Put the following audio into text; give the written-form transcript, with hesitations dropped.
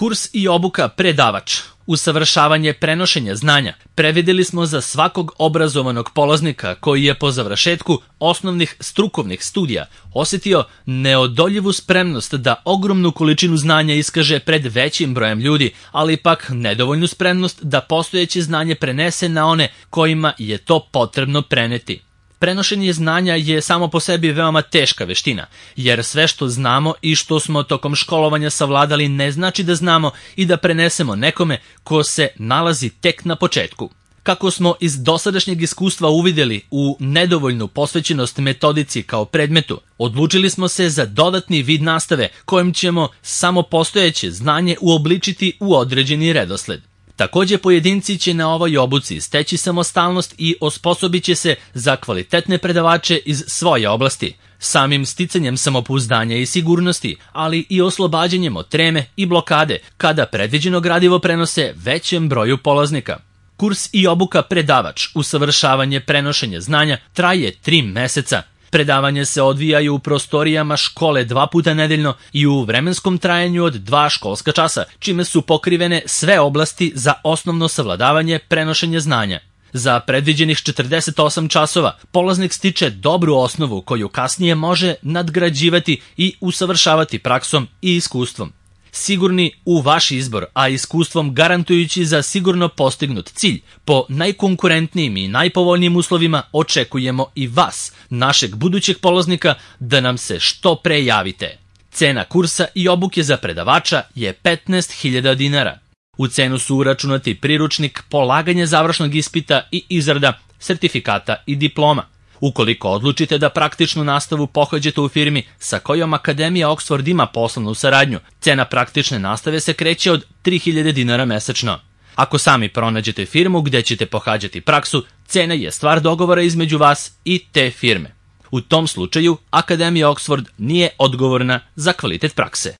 Kurs i obuka predavač, usavršavanje prenošenja znanja, predvideli smo za svakog obrazovanog polaznika koji je po završetku osnovnih strukovnih studija osjetio neodoljivu spremnost da ogromnu količinu znanja iskaže pred većim brojem ljudi, ali ipak nedovoljnu spremnost da postojeće znanje prenese na one kojima je to potrebno preneti. Prenošenje znanja je samo po sebi veoma teška veština, jer sve što znamo i što smo tokom školovanja savladali ne znači da znamo i da prenesemo nekome ko se nalazi tek na početku. Kako smo iz dosadašnjeg iskustva uvidjeli u nedovoljnu posvećenost metodici kao predmetu, odlučili smo se za dodatni vid nastave kojim ćemo samo postojeće znanje uobličiti u određeni redosled. Također pojedinci će na ovoj obuci steći samostalnost i osposobit će se za kvalitetne predavače iz svoje oblasti, samim sticanjem samopouzdanja i sigurnosti, ali i oslobađanjem od treme i blokade kada predviđeno gradivo prenose većem broju polaznika. Kurs i obuka predavač, usavršavanje prenošenja znanja, traje 3 meseca. Predavanje se odvijaju u prostorijama škole 2 puta nedeljno i u vremenskom trajanju od 2 školska časa, čime su pokrivene sve oblasti za osnovno savladavanje prenošenja znanja. Za predviđenih 48 časova polaznik stiče dobru osnovu koju kasnije može nadgrađivati i usavršavati praksom i iskustvom. Sigurni u vaš izbor, a iskustvom garantujući za sigurno postignut cilj, po najkonkurentnijim i najpovoljnijim uslovima očekujemo i vas, našeg budućeg polaznika, da nam se što pre javite. Cena kursa i obuke za predavača je 15.000 dinara. U cenu su uračunati priručnik, polaganje završnog ispita i izrada sertifikata i diploma. Ukoliko odlučite da praktičnu nastavu pohađate u firmi sa kojom Akademija Oxford ima poslovnu saradnju, cena praktične nastave se kreće od 3.000 dinara mesečno. Ako sami pronađete firmu gdje ćete pohađati praksu, cena je stvar dogovora između vas i te firme. U tom slučaju Akademija Oxford nije odgovorna za kvalitet prakse.